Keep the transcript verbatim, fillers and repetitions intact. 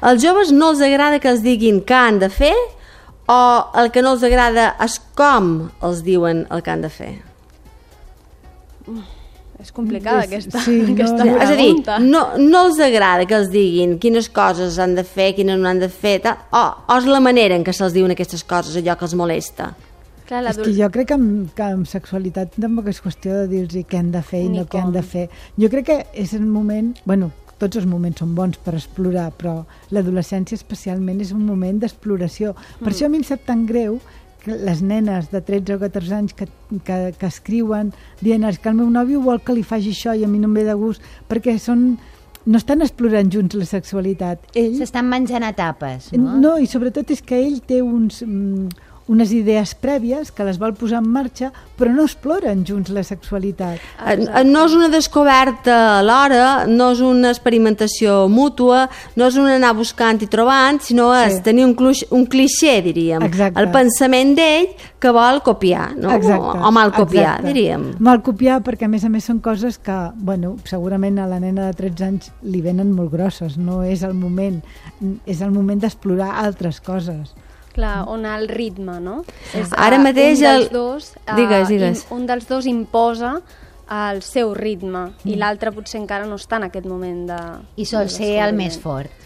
Als joves no els agrada que els diguin què han de fer o el que no els agrada és com els diuen el que han de fer? És complicada aquesta, sí, no, aquesta no, pregunta. És a dir, no, no els agrada que els diguin quines coses han de fer, quines no han de fer, tal, o, o és la manera en què se'ls diuen aquestes coses, allò que els molesta. Clar, és que jo crec que amb, que amb sexualitat tampoc és qüestió de dir-los què han de fer i Ni no què han com. de fer. Jo crec que és el moment... Bueno, tots els moments són bons per explorar, però l'adolescència especialment és un moment d'exploració. Per Mm. això a mi em sap tan greu que les nenes de tretze o catorze anys que, que, que escriuen dient que el meu nòvio vol que li faci això i a mi no em ve de gust, perquè són... no estan explorant junts la sexualitat. Ell... S'estan menjant etapes, no? No, i sobretot és que ell té uns... Mm, unes idees prèvies que les vol posar en marxa, però no exploren junts la sexualitat. Exacte. No és una descoberta alhora, no és una experimentació mútua, no és un anar buscant i trobant, sinó és sí. tenir un, cluix, un clixé, diríem. Exacte. El pensament d'ell que vol copiar, no? Exacte. O mal copiar, Exacte. diríem. Mal copiar perquè, a més a més, són coses que, bueno, segurament a la nena de tretze anys li venen molt grosses, no és el moment, és el moment d'explorar altres coses. Clar, on el ritme, no? És, Ara uh, mateix un dels el... dos, uh, digues, digues. un dels dos imposa el seu ritme mm. i l'altre potser encara no està en aquest moment de... I sol ser el més fort.